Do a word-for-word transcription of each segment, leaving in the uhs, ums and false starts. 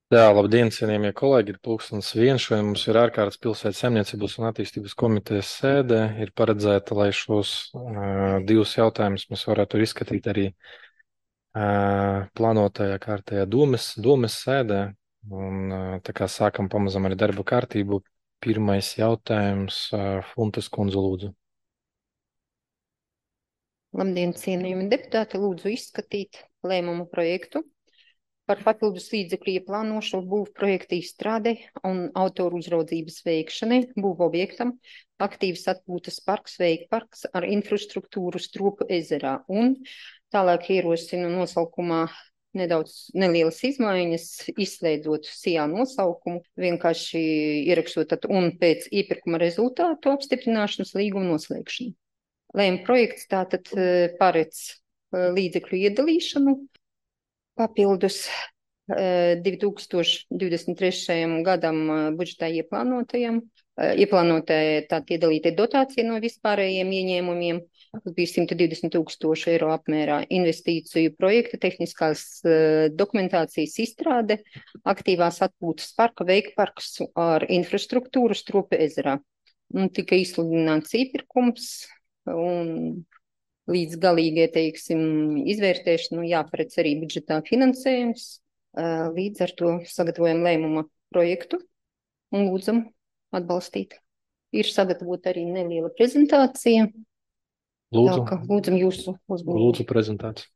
Jā, labdien, cienījamie kolēģi, ir pulkstens viens. Šodien mums ir ārkārtas pilsētas saimniecības un attīstības komitejas sēde. Ir paredzēta, lai šos uh, divus jautājumus mēs varētu izskatīt arī uh, plānotajā kārtajā domes, domes sēdē. Un uh, tā kā sākam pamazam arī darba kārtību, pirmais jautājums uh, Funtas kundze lūdzu. Labdien, cienījami deputāti, lūdzu izskatīt lēmumu projektu par papildus līdzekļu ieplānošanu būvu projekta izstrādei un autoru uzraudzības veikšanai būvu objektam aktīvas atpūtas parks, veikparks ar infrastruktūru Stropu ezerā. Un tālāk ierosinu nosaukumā nedaudz nelielas izmaiņas, izslēdzot sijā nosaukumu, vienkārši ierakstot tad un pēc iepirkuma rezultātu apstiprināšanas līguma noslēgšanu. Lēma projekts tātad paredz līdzekļu iedalīšanu papildus divi tūkstoši divdesmit trešajam gadam budžetā ieplānotajam, ieplānotajai tātad iedalītai dotācija no vispārējiem ieņēmumiem, kas bija simt divdesmit tūkstoši eiro apmērā, investīciju projekta, tehniskās dokumentācijas izstrāde, aktīvās atpūtas parka, veikparks ar infrastruktūru Stropu ezerā. Un tika izsludināts iepirkums un līdz galīgai, teiksim, izvērtēšanu jāparedz arī budžetā finansējums. Līdz ar to sagatavojam lēmuma projektu un lūdzam atbalstīt. Ir sagatavota arī neliela prezentācija. Lūdzu, Tā, ka lūdzam jūsu uzmanību. Lūdzu prezentāciju.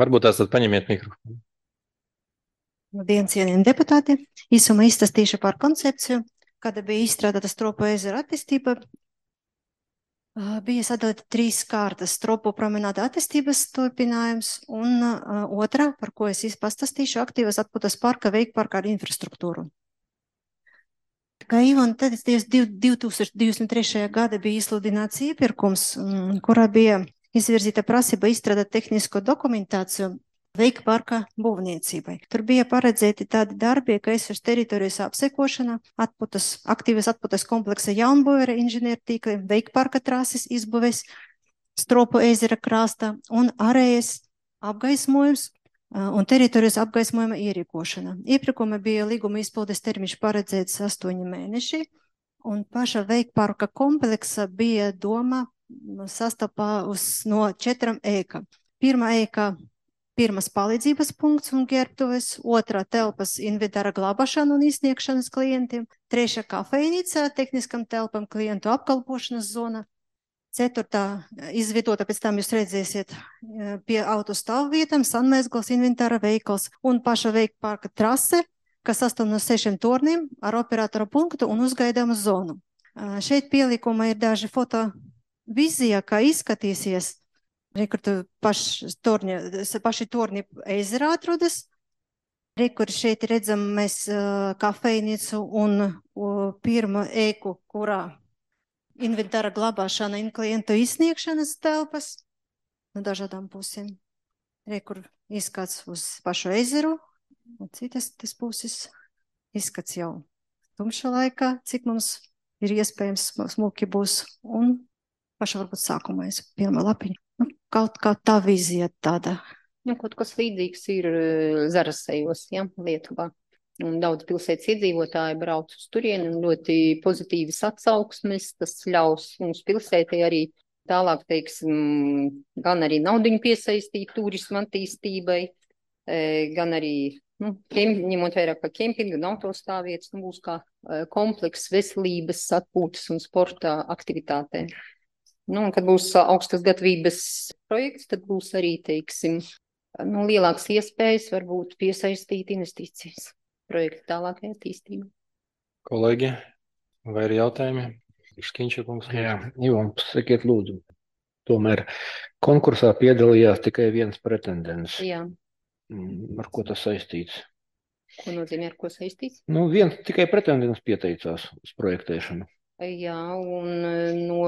Varbūt tās tad paņemiet mikrofonu. Labdien, cienījami deputāti! Īsumā izstāstīšu par koncepciju, kāda bija izstrādāta Stropu ezera attīstība. Bija sadalīta trīs kārtas: Stropu promenāda attīstības turpinājums un uh, otrā, par ko es pastāstīšu, aktīvas atpūtas parka, veikparka ar infrastruktūru. Kā Ivona teica, divi tūkstoši divdesmit trešajā gada bija izsludināts iepirkums, kurā bija izvirzīta prasība izstrādāt tehnisko dokumentāciju veikparka būvniecībai. Tur bija paredzēti tādi darbi, kā esošas teritorijas apsekošana, atpūtas, aktīvas atpūtas kompleksa jaunbūve, inženiertīkli, veikparka trases izbūves, Stropu ezera krasta un ārējas apgaismojums un teritorijas apgaismojuma ierīkošana. Iepirkuma bija līguma izpildes termiņš paredzēts astoņi mēneši, un paša veikparka kompleksa bija doma sastāvā uz no četram ēkām. Pirmā ēka Pirmas palīdzības punkts un ģērbtuves, otrā telpas inventāra glābašana un izsniegšanas klientiem, trešā kafejnīca tehniskam telpam klientu apkalpošanas zona, ceturtā izvietota, pēc tam jūs redzēsiet, pie auto stāvvietām, sanmēzgals, inventāra veikals un paša veikparka trase, kas sastāv no sešiem torniem ar operatora punktu un uzgaidāmu zonu. Šeit pielikumā ir daži foto vizija, kā izskatīsies. Rekur paši torņi, paši torņi ezerā atrodas. Rekur šeit redzam mēs uh, kafejnīcu un uh, pirmo ēku, kurā inventāra glabāšana un klientu izsniegšanas telpas no dažādām pusēm. Rekur izskats uz pašu ezeru, un citas tas puses izskats jau tumša laikā, cik mums ir iespējams smuki būs. Un paša varbūt sākumā es pirmā lapiņa. Nu, kaut kā tā vizija tāda. Nu, kaut kas līdzīgs ir Zarasejos, ja, Lietuvā. Un daudz pilsētas iedzīvotāji brauc uz turieni un ļoti pozitīvas atsauksmes. Tas ļaus mums pilsētai arī tālāk, teiksim, gan arī naudiņu piesaistīt turismu attīstībai, gan arī, nu, ņemot vairāk kā kempingu un autostāvvietas, nu, būs kā komplekss veselības, atpūtas un sporta aktivitātēm. Nu, un kad būs augstas gatavības projekts, tad būs arī, teiksim, nu, lielākas iespējas varbūt piesaistīt investīcijas projekta tālākai attīstībai. Kolēģi, vai ir jautājumi? Škiņša kungs. Jā, Ivan, sakiet lūdzu. Tomēr konkursā piedalījās tikai viens pretendents. Jā. Ar ko tas saistīts? Ko nozīmē ar ko saistīts? Nu, viens tikai pretendents pieteicās uz projektēšanu. Jā, un no,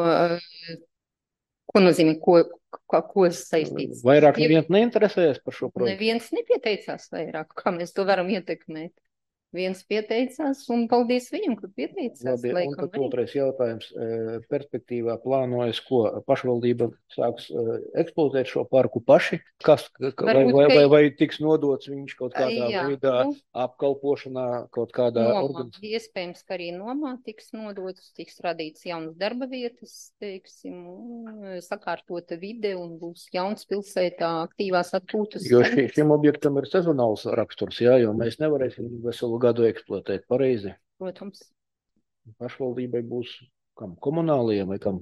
ko nozīmē, ko, ko, ko saistīts? Vairāk neviens neinteresējas par šo projektu? Neviens nepieteicās vairāk, kā mēs to varam ietekmēt. viens pieteicās, un paldies viņam, ka pieteicās. Labi, un laikam tad arī. otrais jautājums. eh, Perspektīvā plānojas, ko pašvaldība sāks eh, eksploatēt šo parku paši? Kas, ka- vai, Varbūt, vai, ka- vai, vai tiks nodots viņš kaut kādā Jā, veidā nu. apkalpošanā, kaut kādā Nomā. organizācijā? Iespējams, ka arī nomā tiks nodots, tiks radīts jaunas darba vietas, teiksim, un sakārtota vide un būs jauns pilsētā aktīvās atpūtas. Jo ši, šim objektam ir sezonāls raksturs, jā, jo mēs nevarēsim veselu gadu eksploatēt pareizi. Protams. Pašvaldībai būs kam komunālajiem vai kam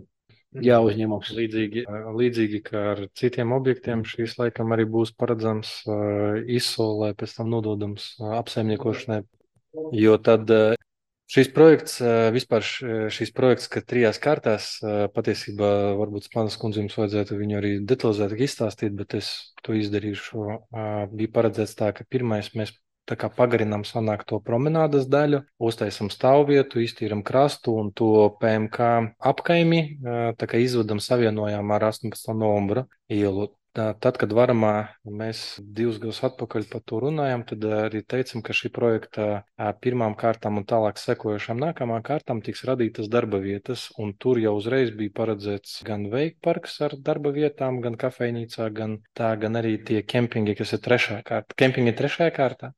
jāuzņemams. Līdzīgi, līdzīgi kā ar citiem objektiem, šīs laikam arī būs paredzams uh, izsolē, pēc tam nododams uh, apsaimniekošanai. Jo tad uh, šis projekts, uh, vispār š- šis projekts, ka trijās kārtās, uh, patiesībā varbūt Spanas kundze jums vajadzētu viņu arī detalizētāk izstāstīt, bet es to izdarīšu. Uh, bija paredzēts tā, ka pirmais mēs tā kā pagarinām sanāk to promenādas daļu, uztaisam stāvvietu, iztīram krastu un to P M K apkaimi, ā, tā kā izvedam savienojām ar astoņpadsmitā novembra ielu. Tā, Tad, kad varamā mēs divus gadus atpakaļ par to runājām, tad arī teicam, ka šī projekta ā, pirmām kārtām un tālāk sekojušām nākamām kārtām tiks radītas darba vietas, un tur jau uzreiz bija paredzēts gan veikparks ar darba vietām, gan kafejnīcā, gan tā, gan arī tie kempingi, kas ir trešā kārta. Kempingi ir trešajā kārtā.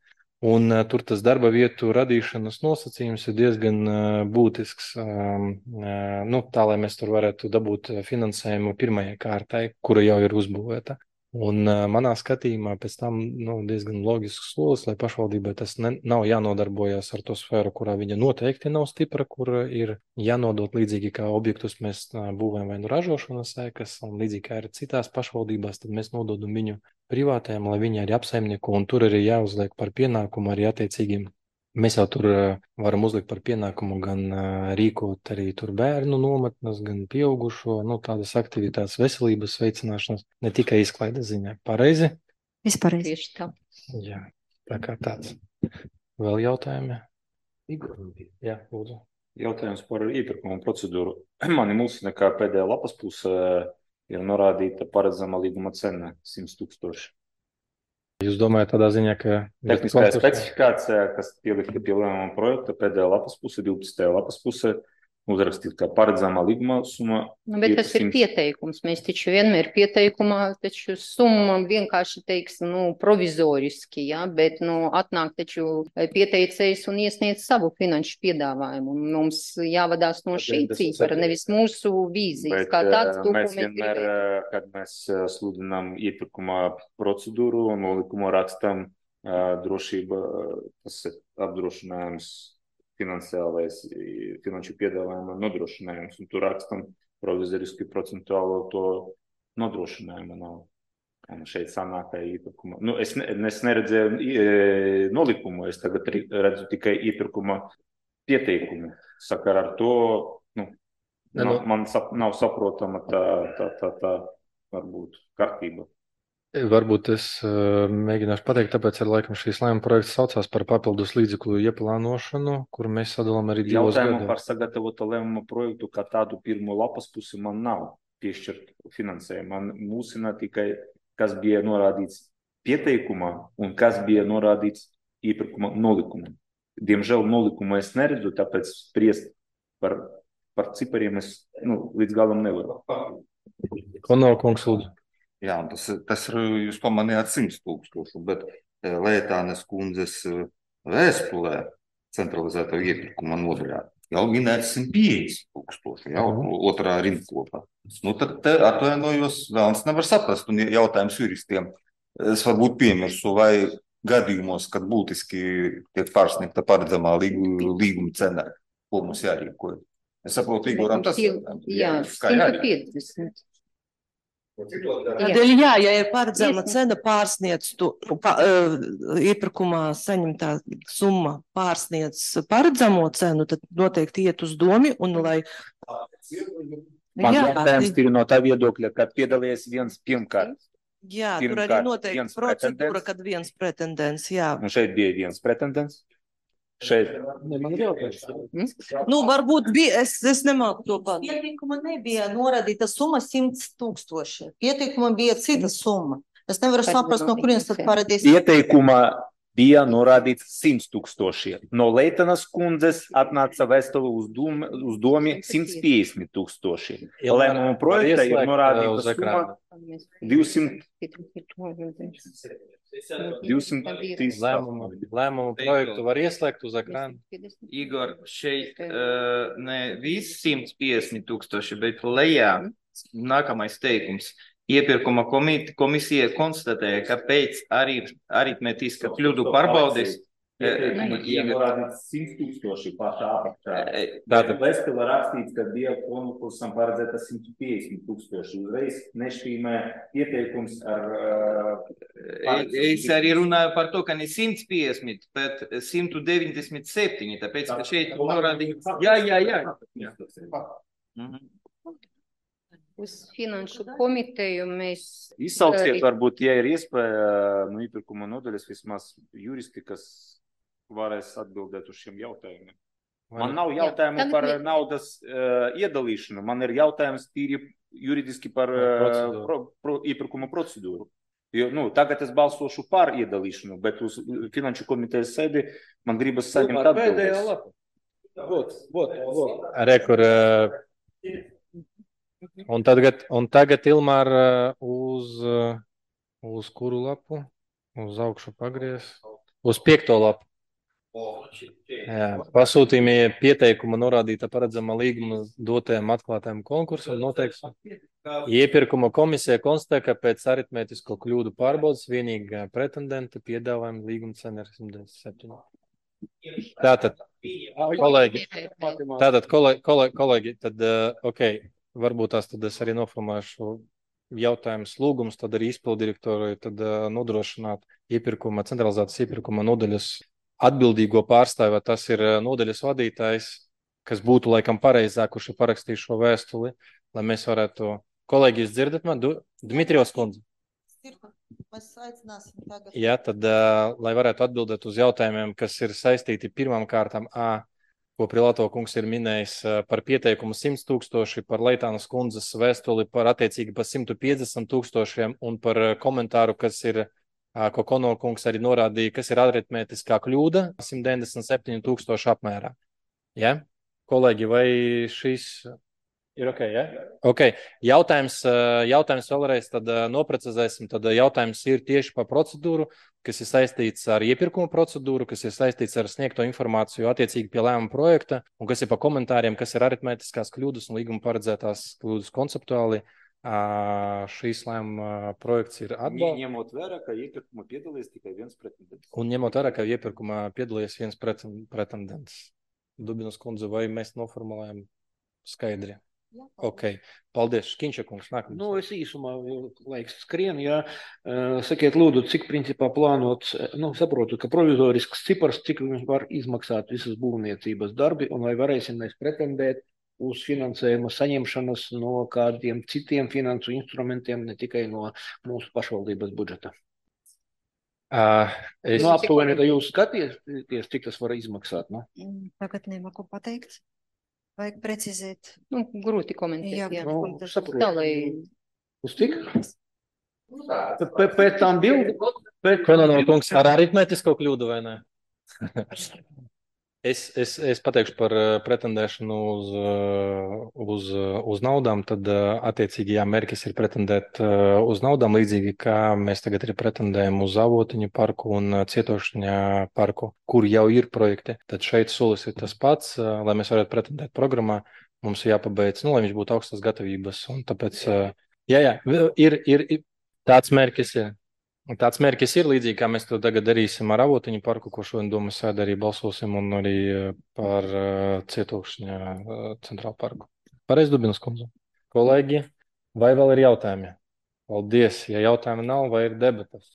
Un uh, tur tas darba vietu radīšanas nosacījums ir diezgan uh, būtisks, um, uh, nu, tā, lai mēs tur varētu dabūt uh, finansējumu pirmajai kārtai, kura jau ir uzbūvēta. Un uh, manā skatījumā pēc tam nu, diezgan loģisks solis, lai pašvaldībai tas ne, nav jānodarbojas ar to sfēru, kurā viņa noteikti nav stipra, kur ir jānodot līdzīgi kā objektus mēs uh, būvējam vai nu ražošanas ēkas, un līdzīgi kā ir citās pašvaldībās, tad mēs nododam viņu privātajiem, lai viņi arī apsaimnieko, un tur arī jāuzliek par pienākumu arī attiecīgiem. Mēs jau tur uh, varam uzlikt par pienākumu gan uh, rīkot arī tur bērnu nometnes, gan pieaugušo, nu, tādas aktivitātes veselības veicināšanas, ne tikai izklaides ziņā. Pareizi? Vispārreiz. Tieši tā. Jā, tā kā tāds. Vēl jautājumi? Jā, lūdzu. Jautājums par iepirkumu procedūru. Mani mulsina, ka pēdējā lapas pusē ir norādīta paredzama līguma cena simt tūkstoši. Jūs domājat tādā ziņā, ka... Tehniskā specifikācija, kas pielikta pie lēmuma projekta, pēdējā lapas pusē, divpadsmitajā lapas pusē, uzrakstīt, ka paredzamā līguma summa. Nu, bet tas ir pieteikums. Mēs taču vienmēr pieteikumā, taču summa vienkārši teiks, nu, provizoriski, jā, bet, nu, atnāk taču pieteicējs un iesniedz savu finanšu piedāvājumu. Un mums jāvadās no šī cifra, nevis mūsu vīzijas, kā tāds to, Mēs ko mēs vienmēr, gribējam. kad mēs sludinām iepirkuma procedūru un nolikumu rakstam drošība, tas ir apdrošinājums, finansiālais, finanšu piedāvājuma nodrošinājums, un tur rakstam provizoriski procentuālo to nodrošinājumu nav. Un šeit sanākā iepirkuma. Nu, es, ne, es neredzēju e, nolikumu, es tagad redzu tikai iepirkuma pieteikumu. Sakar ar to, nu, Ne, man, nu- man sap, nav saprotama tā, tā, tā, tā varbūt kārtība. Varbūt es uh, mēģināšu pateikt, tāpēc ir laikam šīs lēmuma projekts saucās par papildus līdzekļu ieplānošanu, kur mēs sadalām arī divos Jautājumu gados. par sagatavotu lēmumu projektu, kā tādu pirmo lapas pusi man nav piešķirt finansējumu. Man mūsina tikai, kas bija norādīts pieteikumā un kas bija norādīts iepirkuma nolikumā. Diemžēl nolikumu es neredzu, tāpēc spriest par, par cipariem es nu, līdz galam nevaru. Konova kungs, lūdzu. Jā, tas, tas ir, jūs pamanījāt simt tūkstošu, bet Lētānes kundzes vēstulē centralizētā iepirkuma nodaļā jau minēts simt piecdesmit tūkstoši, jau Mhm. otrā rindkopā. Nu, tad te atvainojos, vēlams nevar saprast, un jautājums juristiem. Es varbūt piemirsu, vai gadījumos, kad būtiski tiek pārsniegta paredzamā līguma, līguma cena, ko mums jārīkoja. Es saprotu, Igoram tas Tie- Jā, kā simt jārīkoja. piecdesmit. Tādēļ, jā, ja ir paredzama Iesniegt. cena pārsniedz, tu, pa, uh, iepirkumā saņemtā summa pārsniedz paredzamo cenu, tad noteikti iet uz domi un lai. Man Jā, jautājums ti- ir no tā viedokļa, kad piedalījies viens pirmkārt. jā, tur arī pirmkārt noteikti viens procedūra, pretendents. kad viens pretendents, jā. Un šeit bija viens pretendents. Šeit. Ne, man ir jautājums. Nu, varbūt bija, es, es nemāku to pat. Pieteikuma nebija norādīta summa simt tūkstoši. Pieteikuma bija cita summa. Es nevaru Kas saprast, no bija kurienes tad notificēts? parādīs. Ieteikuma bija norādīts simts tūkstoši. No Leitanas kundzes atnāca vēstule uz, dom, uz domi simts piecdesmit tūkstoši. Lēmumu projektā ir norādīta summa divsimt Lēmumu, lēmumu projektu var ieslēgt uz ekrāna. Igor, šeit uh, ne viss simts piecdesmit tūkstoši, bet lejā nākamais teikums. Iepirkuma komite, komisija konstatēja, ka pēc arī, aritmetiska kļūdu pārbaudes ir norādīts simts tūkstoši pašā apakšā. Tātad vēstulē rakstīts, ka bija konkursam paredzēta simt piecdesmit tūkstoši. Uzreiz nešķīmē ieteikums ar... Uh, es arī runāju par to, ka ne simts piecdesmit, bet simt deviņdesmit septiņi, tāpēc, ka šeit norādīts... Jā, jā, jā. jā. Mhm. Uz finanšu komiteju mēs... Izsauciet, varbūt, ja ir iespēja, no iepirkuma nodaļas vismaz juristi, kas varēs atbildēt uz šiem jautājumiem. Man nav jautājumu Jā, par mēs... naudas uh, iedalīšanu, man ir jautājums tīri juridiski par uh, pro, pro, iepirkuma procedūru. Jo, nu, tagad es balsošu par iedalīšanu, bet uz finanšu komitejas sēdi man gribas saņemt atbildēs. Vot, vot, vot. Re, kur... Uh... Un tagad, un tagad Ilmār, uz, uz kuru lapu? Uz augšu pagries. Uz piekto lapu. Jā, pasūtījumie pieteikuma norādīta paredzama līguma dotajam atklātajam konkursam noteikts. Iepirkuma komisija konstatē, ka pēc aritmētisko kļūdu pārbaudas vienīgā pretendenta piedāvājuma līguma cena ir simt deviņdesmit septiņi. Tātad, kolēģi, tātad, kolēģi, kolēģi, kolēģi tad, ok, varbūt tās tad es arī noformēšu jautājumus lūgumus, tad arī izpildirektoru tad uh, nodrošināt iepirkuma, centralizētas iepirkuma nodaļas atbildīgo pārstāvi, vai tas ir uh, nodaļas vadītājs, kas būtu laikam pareizāk, kurš ir parakstījis šo vēstuli, lai mēs varētu... Kolēģi, jūs dzirdat man? Du... Dmitrijos kundze. Mēs aicināsim tagad. Jā, tad, uh, lai varētu atbildēt uz jautājumiem, kas ir saistīti pirmām kārtām A, ko Prilato kungs ir minējis par pieteikumu simts tūkstoši, par Leitānas kundzes vēstuli par attiecīgi par simt piecdesmit tūkstošiem un par komentāru, kas ir, ko Kono kungs arī norādīja, kas ir aritmētiskā kļūda simt deviņdesmit septiņi tūkstoši apmērā. Ja? Kolēģi, vai šis ir ok, ja? Ok, jautājums, jautājums vēlreiz tad noprecizēsim, tad jautājums ir tieši par procedūru, kas ir saistīts ar iepirkuma procedūru, kas ir saistīts ar sniegto informāciju attiecīgi pie lēmuma projekta, un kas ir par komentāriem, kas ir aritmētiskās kļūdas un līguma paredzētās kļūdas konceptuāli. Šīs lēmuma projekts ir atbalsts. Ņemot vērā, ka iepirkuma piedalījies tikai viens pretendents. Un ņemot vērā, ka iepirkuma piedalījies viens pretendents. Dubinas kundze, vai mēs noformulējam skaidri? Jā, ok, paldies. Škiņša kungs, nākamais. Nu, es īsumā, laiks skrien, jā. Sakiet, lūdzu, cik principā plānots, nu, saprotu, ka provizorisks cipars, cik var izmaksāt visas būvniecības darbi, un vai varēsim mēs pretendēt uz finansējuma saņemšanas no kādiem citiem finansu instrumentiem, ne tikai no mūsu pašvaldības budžeta. Uh, es... Nu, aptuveni, ka jūs skaties, cik tas var izmaksāt, nu? Tagad nemaku pateikt. Vajag precizēt. Nu, grūti komentēt. Jā, jā. Nu, saprotu. Tā, lai... Uz cik? Pēc tam bildi? Kono kungs, ar aritmētisko kļūdu vai ne? Es, es, es pateikšu par pretendēšanu uz, uz, uz naudām, tad attiecīgi, jā, mērķis ir pretendēt uz naudām, līdzīgi kā mēs tagad arī pretendējam uz Avotiņu parku un Cietošņa parku, kur jau ir projekti. Tad šeit solis ir tas pats, lai mēs varētu pretendēt programmā, mums ir jāpabeidz, nu, lai viņš būtu augstas gatavības. Un tāpēc, jā, jā, ir, ir, ir tāds mērķis, jā. Tāds mērķis ir līdzīgi, kā mēs to tagad darīsim ar Avotiņu parku, ko šodien domas sēdē arī balsosim, un arī par uh, Cietokšņa uh, centrālu parku. Pareiz, Dubinas kundze. Kolēģi, vai vēl ir jautājumi? Paldies. Ja jautājumi nav, vai ir debatas?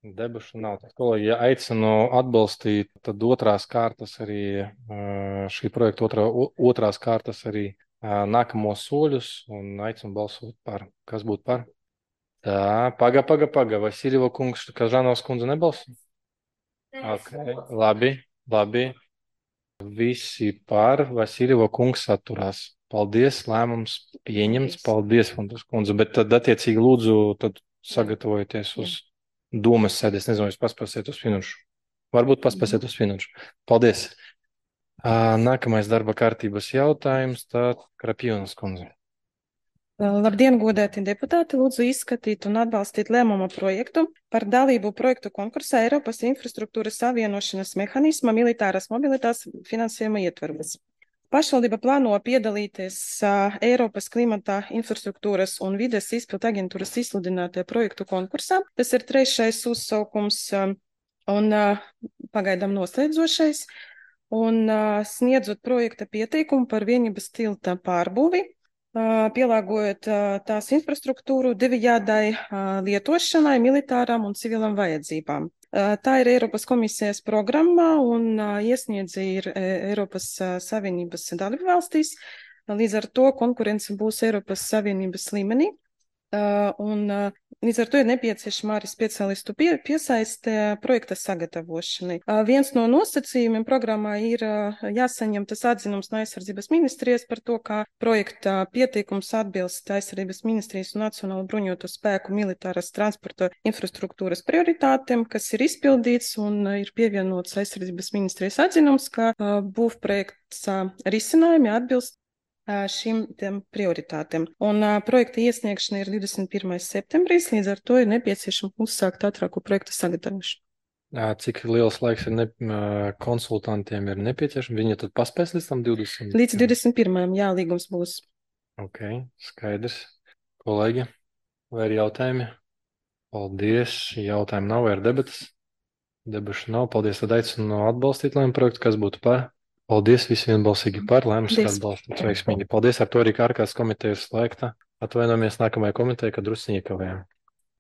Debašu nav. Tad, kolēģi, ja aicinu atbalstīt, tad otrās kārtas arī, uh, šī projekta otrā, otrās kārtas arī uh, nākamos soļus, un aicinu balsot par. Kas būtu par? Tā, paga, paga, paga. Vai Siriva kungs, kā Žanovs kundze nebalso? Ok, labi, labi. Visi par, vai Siriva kungs atturās. Paldies, lēmums pieņemts. Paldies, Fontas kundze. Bet tad attiecīgi lūdzu, tad sagatavojieties uz domas sēdi. Es nezinu, jūs paspēsiet uz finanšu Varbūt paspēsiet uz finanšu. Paldies. Ā, Nākamais darba kārtības jautājums, tā Krapjūnas kundze. Labdien, godēti deputāti! Lūdzu izskatīt un atbalstīt lēmuma projektu par dalību projektu konkursā Eiropas infrastruktūras savienošanas mehānisma militāras mobilitātes finansējuma ietvaros. Pašvaldība plāno piedalīties uh, Eiropas klimata infrastruktūras un vides izpildu aģentūras izsludinātajā projektu konkursā. Tas ir trešais uzsaukums um, un uh, pagaidām noslēdzošais. Un uh, sniedzot projekta pieteikumu par vienības tilta pārbūvi, uh, pielāgojot uh, tās infrastruktūru divējādai uh, lietošanai, militārām un civilam vajadzībām. Uh, tā ir Eiropas komisijas programma un uh, iesniedzi ir uh, Eiropas uh, Savienības dalībvalstīs. Līdz ar to konkurence būs Eiropas Savienības līmenī. Uh, un uh, līdz ar to ir nepieciešama arī speciālistu pie, piesaiste projekta sagatavošanai. Uh, viens no nosacījumiem programmā ir uh, jāsaņem tas atzinums no aizsardzības ministrijas par to, kā projekta pieteikums atbilst aizsardzības ministrijas un Nacionālo bruņoto spēku militāras transporta infrastruktūras prioritātēm, kas ir izpildīts un uh, ir pievienots aizsardzības ministrijas atzinums, ka uh, būvprojekts uh, risinājumi atbilst šīm prioritātēm. Un uh, projekta iesniegšana ir divdesmit pirmais septembris, līdz ar to ir nepieciešama uzsākt ātrāku projektu sagatavošanu. Cik liels laiks ir ne, konsultantiem ir nepieciešams? Viņi tad paspēs līdz tam divdesmit? Līdz divdesmit pirmajam jā, līgums būs. Ok, skaidrs. Kolēģi, vai ir jautājumi? Paldies. Jautājumi nav, vai ir debatas? Debašu nav. Paldies, tad aicinu atbalstīt lēmumu projektu, kas būtu par. Paldies, visi vienbalsīgi par, lēmums ir atbalstīts veiksmīgi. Paldies, ar to arī ārkārtas komitejas slēgta. Atvainojamies nākamajai komitejai, kad drusciņi iekavējām.